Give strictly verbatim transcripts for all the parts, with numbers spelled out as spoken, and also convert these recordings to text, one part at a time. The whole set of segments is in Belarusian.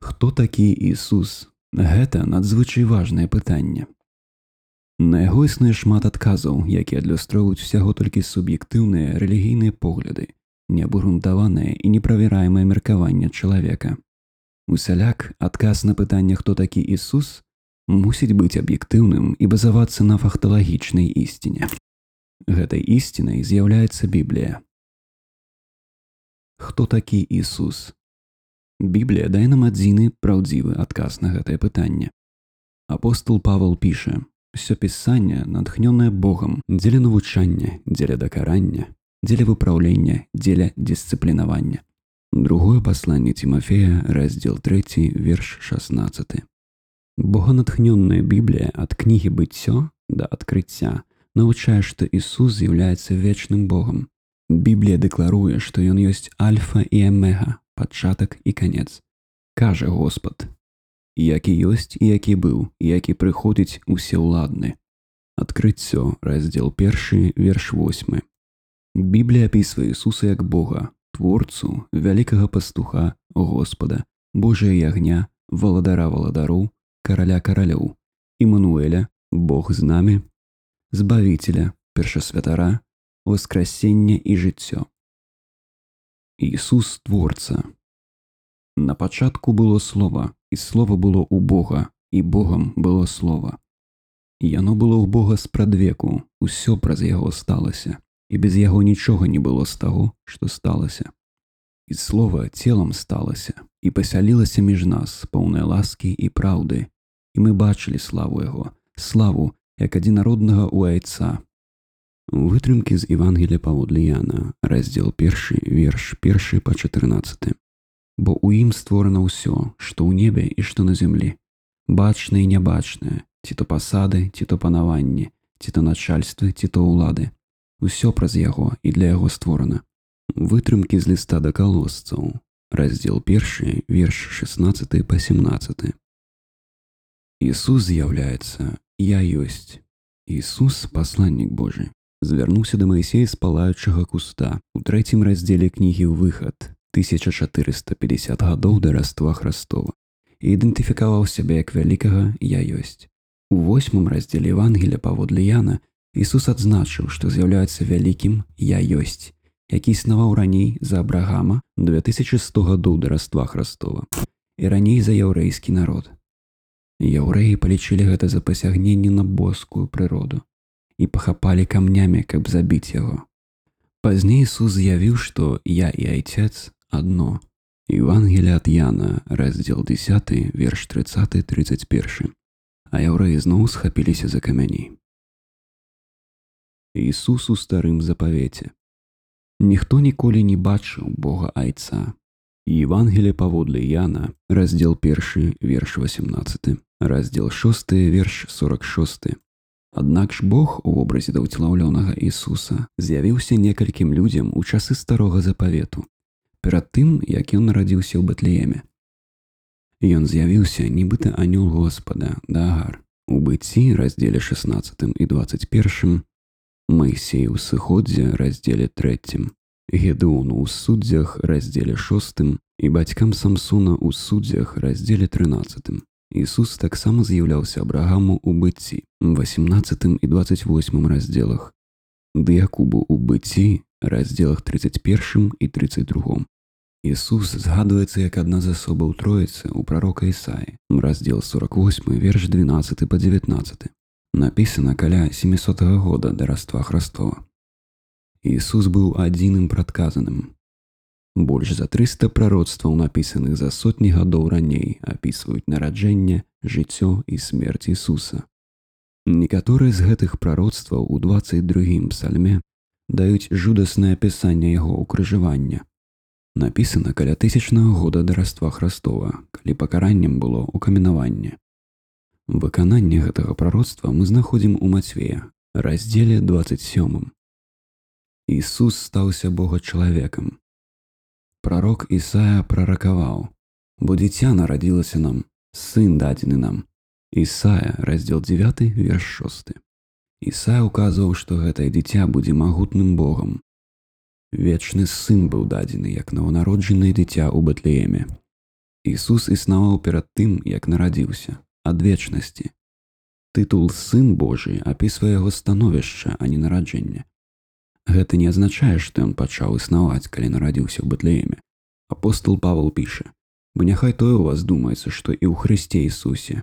Хто такі Ісус? Гэта надзвычай важнае пытанне. На яго існуе шмат адказаў, якія адлюстроўваюць усяго толькі суб'ектыўныя рэлігійныя погляды, неабгрунтаванае і неправяраемае меркаванне чалавека. Усяляк, адказ на пытанне, хто такі Ісус, мусіць быць аб'ектыўным і базавацца на факталагічнай ісціне. Гэтай ісцінай з'яўляецца Біблія. Хто такі Ісус? Біблія дае нам адзіны праўдзівы адказ на гэтае пытанне. Апостол Павел піша: «Усё пісанне, натхнёнае Богам, дзеля навучання, дзеля дакарання, дзеля выпраўлення, дзеля дысцыплінавання». Другое пасланне Тимофея, раздзел трэці, верш шаснаццаты. Боганатхнённая Біблія ад кнігі «Быццё» да «Адкрыцця» навучае, што Ісус з'яўляецца вечным Богам. Біблія дэкларуе, што Ён ёсць альфа і омега, пачатак і канец. Кажа Господ: «Які ёсць і які быў, і які прыходзіць усеўладны». Адкрыццё, раздзел першы, верш восьмы. Біблія апісвае Ісуса як Бога, творцу, вялікага пастуха, Господа, Божая ягня, валадара валадароў, караля каралёў, Імануэля, Бог з намі, збавіцеля, першасвятара, воскрасення і жыццё. Ісус творца. На пачатку было Слова, і Слова было ў Бога, і Богам было Слова. Яно было ў Бога спрадвеку, усё праз яго сталася, і без яго нічога не было з таго, што сталася. І Слова целам сталася, і пасялілася між нас, поўнай ласкі і праўды, і мы бачылі славу яго, славу, як адзінароднага ў Айца. Вытрымкі з Евангелія паводле Яна, раздзел першы, верш першы па чатырнаццаты. «Бо ў ім створана ўсё, што ў небе і што на зямлі, бачнае і нябачнае, ці то пасады, ці то панаванні, ці то начальствы, ці то ўлады. Усё праз яго і для яго створана». Вытрымкі з ліста да калосцаў, раздзел першы, верш шаснаццаты па сямнаццаты. Ісус з'яўляецца «Я ёсць». Ісус, пасланнік Божы, звярнуўся да Маісея з палаючага куста у трэцім раздзеле кнігі «Выхад» тысяча чатырыста пятьдесят гадоў да Раства Хрыстова і ідэнтыфікаваў сябе як вялікага «Я ёсць». У восьмым раздзеле Евангелія паводле Яна Ісус адзначыў, што з'яўляецца вялікім «Я ёсць», які існаваў раней за Абрагама две тысячи сто гадоў да Раства Хрыстова і раней за яўрэйскі народ. Яўрэі палічылі гэта за пасягненне на боскую прыроду і пахапалі камнямі, каб забіць яго. Пазней Ісус з'явіў, што «Я і Айцец адно». Евангелие ад Яна, раздзел дзесяты, верш трыццаты тридцать першы. А яўрэі зноў схапіліся за камяні. Ісус у старым запавеце. Ніхто ніколі не бачыў Бога Айца. Евангелие паводле Яна, раздзел першы, верш васемнаццаты, раздзел шосты, верш сорок шосты. Аднак ж Бог у вобразе даўцелаўлёнага Ісуса з'явіўся некалькім людзям у часы старога запавету, перад тым, як ён нарадзіўся ў Бэтлееме. Ён з'явіўся, нібыта анёл Господа, да Агар. У Быцці, раздзеле шаснаццатым і дваццаць першым, Маісей у Сыходзе, раздзеле трэцім, Гедеону ў Суддзях, раздзеле шостым і бацькам Самсона ў Суддзях, раздзеле трынаццатым. Ісус таксама з'яўляўся Абрагаму ў Быцці, васемнаццатым і дваццаць восьмым раздзелах, ды Якубу ў Быцці, раздзелах тридцать первым і тридцать другім. Ісус згадваецца як адна з асобаў Троіцы ў прарока Ісаі, раздзел сорок восьмы, верш двенаццаты па дзевятнаццаты. Напісана каля сямісотага года да Раства Хрыстова. Ісус быў адзіным прадказаным. Больш за трыста прароцтваў, напісаных за сотні гадоў раней, апісваюць нараджэнне, жыццё і смерць Ісуса. Некаторыя з гэтых прароцтваў у дваццаць другім псальме даюць жудаснае апісанне яго ўкрыжавання. Напісана каля тысячнага года да Раства Хрыстова, калі пакараннем было ўкаменаванне. Выкананне гэтага прароцтва мы знаходзім у Мацвея, раздзеле дваццаць сёмым. Ісус стаўся Бога-чалавекам. Прарок Ісая праракаваў: «Бо дзіця нарадзілася нам, сын дадзены нам». Ісая, раздзел дзевяты, верш шосты. Ісая указваў, што гэтае дзіця будзе магутным Богам. Вечны сын быў дадзены як нованароджанае дзіця ў Бэтлееме. Ісус існаваў перад тым, як нарадзіўся, ад вечнасці. Тытул «Сын Божий» апісвае яго становішча, а не нараджэнне. Гэта не азначае, што ён пачаў існаваць, калі нарадзіўся ў Бэтлееме. Апостол Павел піша: «Бо няхай тое ў вас думаецца, што і ў Хрысце Ісусе,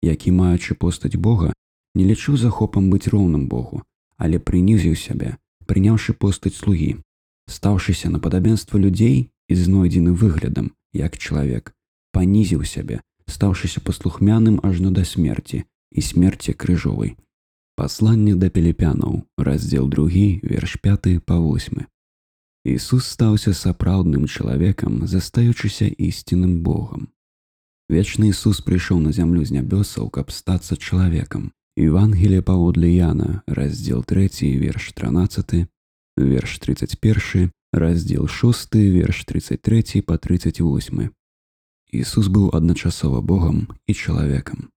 які, маючы постаць Бога, не лічыў захопам быць роўным Богу, але прынізіў сябе, прыняўшы постаць слугі, стаўшыся на падабенства людзей і знойдзены выглядам, як чалавек, панізіў сябе, стаўшыся паслухмяным ажно да смерці і смерці крыжовай». Пасланне да Піліпянаў, раздзел другі, верш пяты па восьмы. Ісус стаўся сапраўдным чалавекам, застаючыся ісціным Богам. Вечны Ісус прыйшоў на зямлю з нябёсаў, каб стацца чалавекам. Евангелие паводле Яна, раздзел трэці, верш трынаццаты, верш тридцать першы, раздзел шосты, верш тридцать трэці па тридцать восьмы. Ісус быў адначасова Богам і чалавекам.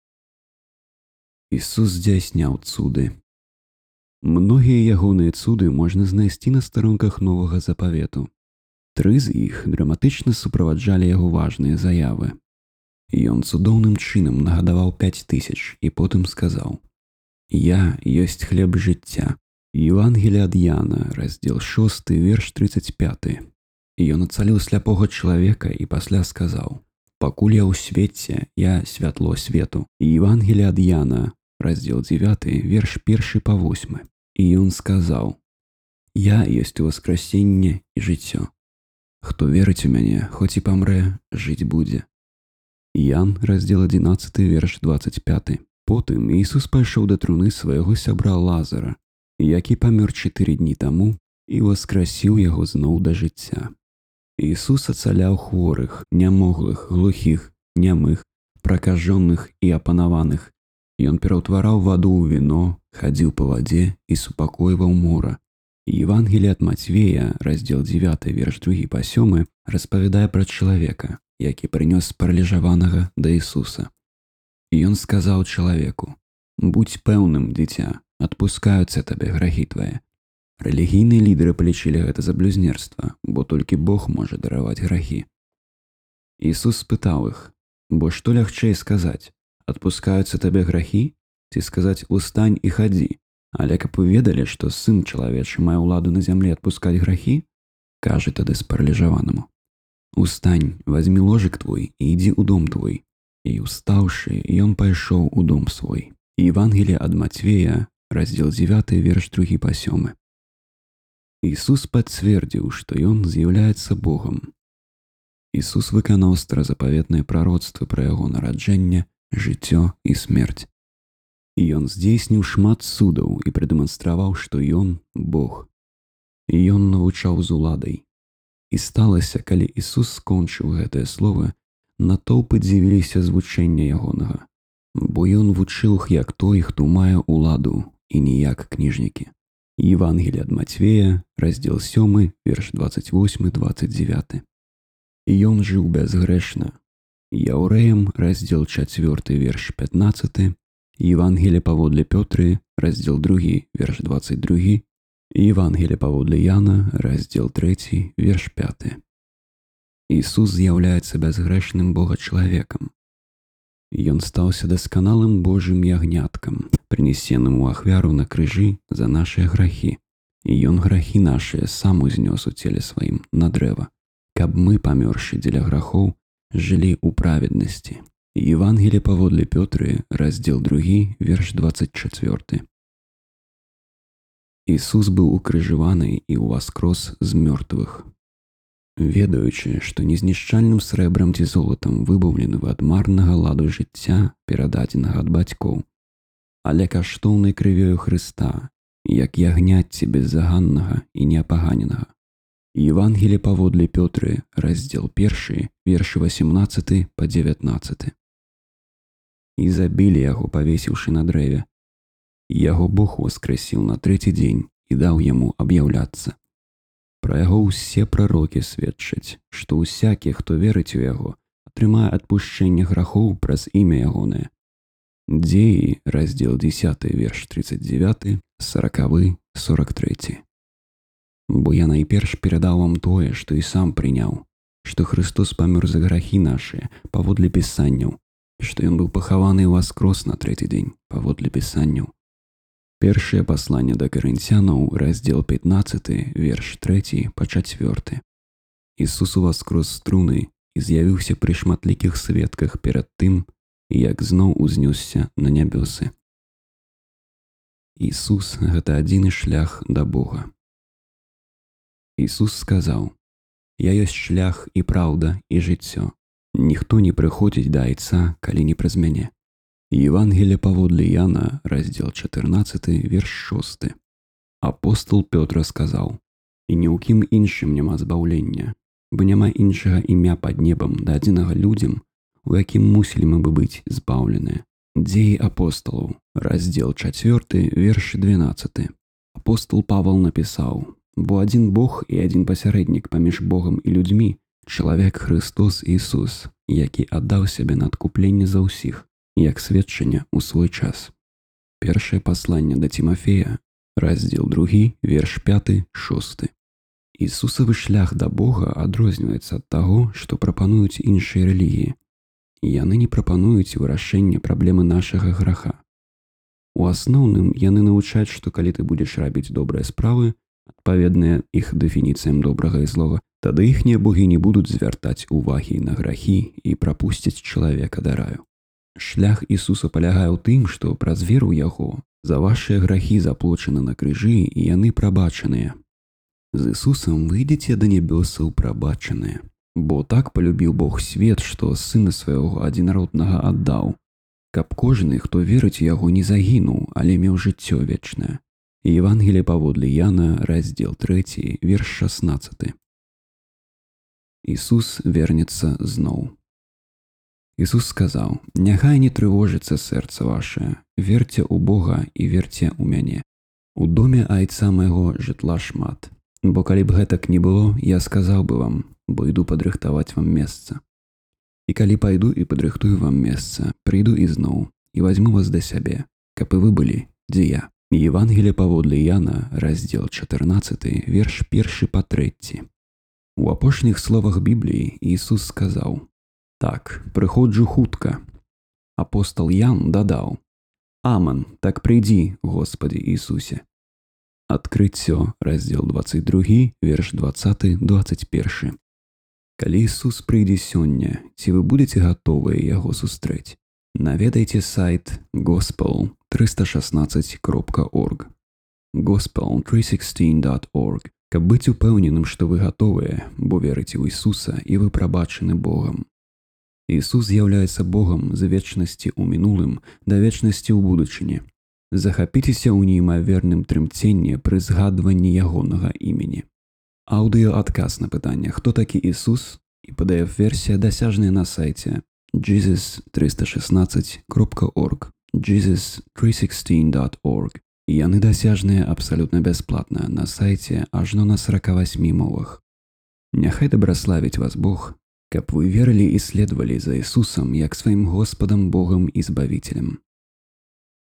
Ісус здзяйсняў цуды. Многія ягоныя цуды можна знайсці на старонках Новага Запавету. Тры з іх драматычна суправаджалі яго важныя заявы. Ён цудоўным чынам нагадаваў пяць тысяч і потым сказаў: «Я ёсць хлеб жыцця». Евангелие ад Яна, раздзел шосты, верш тридцать пяты. Ён ацаліў сляпога чалавека і пасля сказаў: «Пакуль я ў свеце, я святло свету». Евангелие ад Яна, раздзел дзевяты, верш першы па восьмы. І ён сказаў: «Я ёсць уваскрасенне і жыццё. Хто верыць у мяне, хоць і памрэ, жыць будзе». Ян, раздзел адзінаццаты, верш двадцать пяты. Потым Ісус пайшоў да труны свайго сябра Лазара, які памёр чатыры дні таму, і васкрасіў яго зноў да жыцця. Ісус ацаляў хворых, нямоглых, глухіх, нямых, пракажоных і апанаваных. Ён пераўтвараў ваду ў віно, хадзіў па вадзе і супакойваў мора. Евангелие ад Мацвея, раздзел дзевяты, верш другі па сёмы, распавядае пра чалавека, які прынёс параліжаванага да Ісуса. Ён сказаў чалавеку: «Будзь пэўным, дзіця, адпускаюцца табе грахі твае». Рэлігійныя лідары палічылі гэта за блюзнерства, бо толькі Бог можа дараваць грахі. Ісус спытаў іх: «Бо што лягчэй сказаць? Адпускаюцца табе грахі? Ці сказаць: устань і хадзі? Але каб вы ведалі, што сын чалавечы мае ўладу на зямлі адпускаць грахі, кажа тады спараліжаванаму: «Устань, вазьмі ложак твой і ідзі ў дом твой». І устаўшы, ён пайшоў у дом свой. Евангелие ад Мацвея, раздзел дзевяты, верш другі па сёмы. Ісус пацвердзіў, што ён з'яўляецца Богам. Ісус выканаў старазапаветныя прароцтвы пра яго нараджэнне, жыццё і смерць. І ён здзейсніў шмат цудаў і прадэманстраваў, што ён Бог. І ён навучаў з уладай. І сталася, калі Ісус скончыў гэтыя словы, натоўпы дзівіліся з вучэння ягонага, бо ён вучыў іх як той, хто мае ўладу, і не як кніжнікі. Евангелие ад Мацвея, раздзел сёмы, верш двадцать восьмы двадцать девяты. І ён жыў бязгрэшна. Яўрэям, раздзел чацвёрты, верш пятнаццаты. Евангелие паводле Пётры, раздзел другі, верш двадцать другі. Евангелие паводле Яна, раздзел трэці, верш пяты. Ісус з'яўляецца бязгрэшным Бога-чалавекам. Ён стаўся дасканалым Божым ягняткам, прынесеным у ахвяру на крыжы за нашыя грахі. І ён грахі нашыя сам узнёс у целе сваім на дрэва, каб мы, памёршы дзеля грахоў, жылі ў праведнасці. Евангелие паводле Пётры, раздзел другі, верш двадцать чацвёрты. Ісус быў укрыжаваны і ўваскрос з мёртвых. Ведаючы, што незнішчальным срэбрам ці золатам выбаўлены вы ад марнага ладу жыцця, перададзенага ад бацькоў, але каштоўнай крывёю Хрыста, як ягняцці беззаганнага і неапаганенага. Евангелие паводле Пётры, раздзел першы, вершы васемнаццаты па дзевятнаццаты. І забілі яго, павесіўшы на дрэве. Яго Бог воскрэсіў на трэці дзень і даў яму аб'яўляцца. Пра яго ўсе прарокі сведчаць, што ўсякі, хто верыць у яго, атрымае адпушчэнне грахоў праз імя ягонае. Дзеі, раздзел дзесяты, верш тридцать девяты, сорокавы, сорок трэці. Бо я найперш перадаў вам тое, што і сам прыняў, што Христос памёр за грахі нашыя паводле пісанняў, што ён быў пахаваны і ўваскрос на трэці дзень паводле пісанняў. Першае пасланне да Карынцянаў, раздзел пятнаццаты, верш трэці па чацвёрты. Ісус уваскрос з труны і з'явіўся пры шматлікіх сведках перад тым, як зноў узнёсся на нябёсы. Ісус – гэта адзіны шлях да Бога. Ісус сказаў: «Я ёсць шлях і праўда і жыццё. Ніхто не прыходзіць да Айца, калі не праз мяне». Евангелие паводле Яна, раздзел чатырнаццаты, верш шосты. Апостол Пётр сказаў: «І ні ў кім іншым няма збаўлення, бо няма іншага імя пад небам дадзенага людзям, у якім мусілі мы бы быць збаўленыя». Дзеі апосталаў, раздзел чацвёрты, верш двенаццаты. Апостол Павал напісаў: «Бо адзін Бог і адзін пасярэднік паміж Богам і людзьмі, чалавек Христос Ісус, які аддаў сябе на адкупленне за ўсіх, як сведчанне ў свой час». Першае пасланне да Тимофея, раздзел другі, верш пяты, шосты. Ісусавы шлях да Бога адрозніваецца ад таго, што прапануюць іншыя рэлігіі. Яны не прапануюць вырашэнне праблемы нашага граха. У асноўным яны навучаць, што калі ты будзеш рабіць добрыя справы, адпаведныя іх дэфініцыям добрага і злога, тады іхнія богі не будуць звяртаць увагі на грахі і прапусцяць чалавека да раю. Шлях Ісуса палягае ў тым, што праз веру ў яго за вашыя грахі заплочаны на крыжы і яны прабачаныя. З Ісусам выйдзеце да нябёсаў прабачаныя. Бо так полюбіў Бог свет, што сына свайго адзінароднага аддаў, каб кожны, хто верыць у яго, не загінуў, але меў жыццё вечнае. Евангелие паводле Яна, раздзел трэці, верш шаснаццаты. Ісус вернецца зноў. Ісус сказаў: «Няхай не трывожыцца сэрца вашае, верце ў Бога і верце ў мяне. У доме Айца майго жытла шмат. Бо калі б гэтак не было, я сказаў бы вам, бо іду падрыхтаваць вам месца. І калі пайду і падрыхтую вам месца, прыйду ізноў і вазьму вас да сябе, каб і вы былі, дзе я». Евангелие паводле Яна, раздзел чатырнаццаты, верш першы па трэці. У апошніх словах Бібліі Ісус сказаў: «Так, прыходжу хутка». Апостол Ян дадаў: «Аман, так прыйдзі, Господі Ісусе». Адкрыццё, раздзел дваццаць другі, верш дваццаты дваццаць першы. Калі Ісус прыйдзе сёння, ці вы будзеце гатовыя яго сустрэць? Наведайце сайт gospel триста шестнадцать кропка орг gospel триста шестнадцать дот орг, каб быць упэўненым, што вы гатовыя, бо верыце ў Ісуса і вы прабачаны Богам. Ісус з'яўляецца Богам з вечнасці ў мінулым да вечнасці ў будучыні. Захапіцеся ў неймаверным трымценні пры згадванні ягонага імені. Аўдыёадказ на пытанне «Хто такі Ісус?» і пі ді эф-версія дасяжная на сайце jesus триста шестнадцать кропка орг jesus триста шестнадцать дот орг. Яны дасяжныя абсалютна бясплатна на сайце ажно на сорока восьми мовах. Няхай дабраславіць вас Бог, каб вы верылі і следавалі за Ісусам як сваім Господам Богам і Збавіцелем.